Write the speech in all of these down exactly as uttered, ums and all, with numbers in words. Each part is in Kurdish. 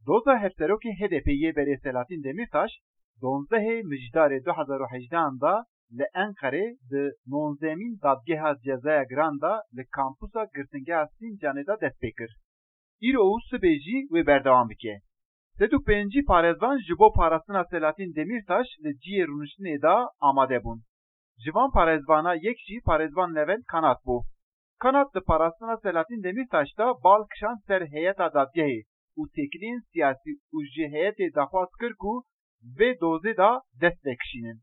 Doza hevserokê H D P'ê yê berê Selahattin Demirtaş, donzdehê Mijdarê du hezar û hejdehan de li Enqerê di nonzdehemîn Dadgeha Cezaya Giran de li kampusa girtingeha Sincanê de dest pê kir. Îro û sibê jî wê berdewam bike. Sed û pêncî parêzvan ji bo parastina Selahattin Demirtaş li cihê rûniştinê de amade bûn. Ji van parêzvana yek jî parêzvan Levent Kanat bû. Kanat di parastina Selahattin Demirtaş de bal kişand ser heyeta dadgehê û têkiliyên siyasî û ji heyetê daxwaz kir ku vê dozê de dest vekişînin.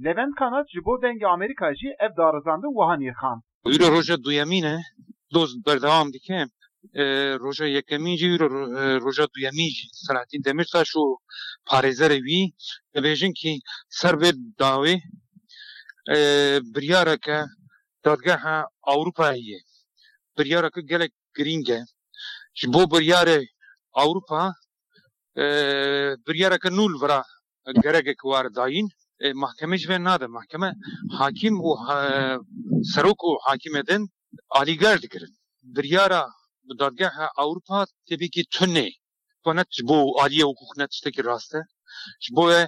Levent Kanat ji bo Dengê Amerîka jî ev darizandin wiha nirxand. Îro roja duyemîn e, doz berdewam dike. E, roja yekemîn jî îro ro-, e, roja duyemîn jî Selahattin Demirtaş û parêzerê wî dibêjin kî ser vê dawê, e, biryareke dadgeha Ewropayê ye. Biryareke gelek girîng e. Ji bo biryarê Ewropa, e, biryareke nû li vira gerek e ku were dayîn. E, mahkeme ji vê nade. Mahkeme hakîm û ha-, serok û hakîmê din alîger dikirin. Biryara bi dadgeha Ewropa tepîkî tune. Xwe ne ji bo aliyê hukuk ne tiştekî rast e. Ji bo e,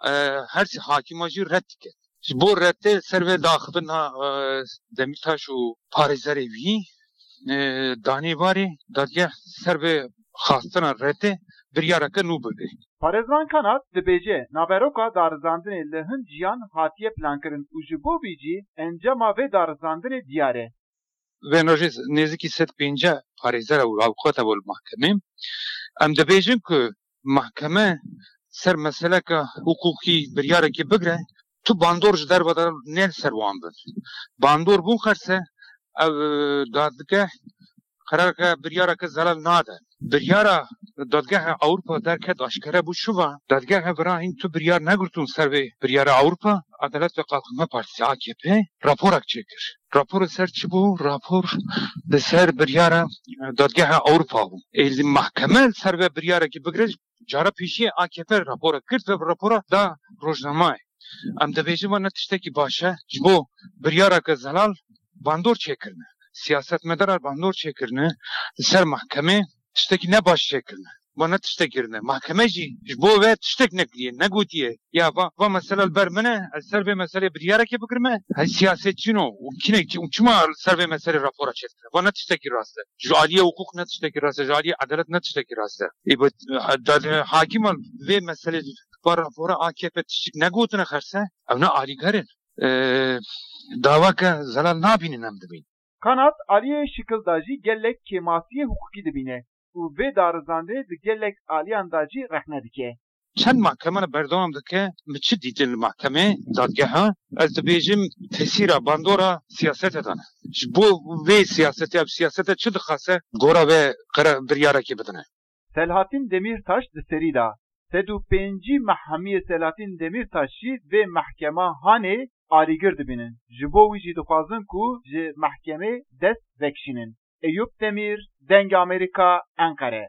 e, her sê hakîma jî red dike. Ji bo redê ser vê daxivina, e, Demîrtaş û parêzerê wî, e, danê varê dadgeh ser vê xastina redê biryareke nû bibe. Parêzvan Kanat dibêje, naveroka darizandinê li hin ciyan hatiye plankirin û ji bo vî jî encama vê darizandinê diyar e. Vê rojê nêzîkî sed pêncî parêzer û avukata bû li mahkemê. Em dibêjin ku mahkeme ser meseleke hiqûqî biryarekî bigre, tu bandor ji derve de ne li ser wan bin. Bandor bûn xerse, ev, e, dadgeh qerareke biryareke zelal nade. Biryara Dadgeha Ewropa derket aşkere bû şiva. Dadgeha vira hîn tu biryar negirtûn ser vê biryara Ewropa. Adalet ve Kalkınma Partisi, A K P, raporak çêkir. Rapor li ser çi bû? Rapor li ser biryara, e, Dadgeha Ewropa bû. Ê li mahkeme li ser vê biryarekî bigire, cara pêşiyê A K P raporak girt ve rapora da rojnamayê. Em dibêjin va ne tiştekî baş e. Ji bo biryareke zelal bandor çêkirine. Siyasetmedaran bandor çêkirine. Li ser mahkemê tiştekî ne baş çêkirine. Va ne tiştek kirine. Mahkeme jî ji bo ve tiştek nekiriye, negotiye. Ya va, va mesela li ber min e, ez ser vê meselê biryarekê bigirime. Hey siyasetçîno û kinek çi û çima li ser vê meselê rapora çêdikire? Va ne tiştekî rast e. Ji aliyê hukuk ne tiştekî rast e. Ji aliyê edalet ne tiştekî rast e. Ê, bi, da, hakîman vê meselê va rapora A K P tiştik negotine xerse, ew ne alîger in. E, daweke zelal nabînin em dibîn. Kanat aliyê şikil de jî gelek kêmasiyê hiqûqî dibîne û vê darizandinê di gelek aliyan de jî rexne dike. Çend mahkemana berdewam dike, min çi dîtin li mahkemê, dadgeha? Ez dibêjim tesîra bandora siyasete de ne. Ji bo vê siyasete, ev siyasete çi dixwase, gora vê qera-, biryarekê bidine. Selahattin Demîrtaş di serî de sed û pêncî meh hemiyê Selahattin Demîrtaş jî vê mehkema hanê alîgir dibînin. Ji bo wî jî dixwazin ku ji mehkemê dest vekişînin. Eyûp Demîr, Dengê Amerîka, Enqere.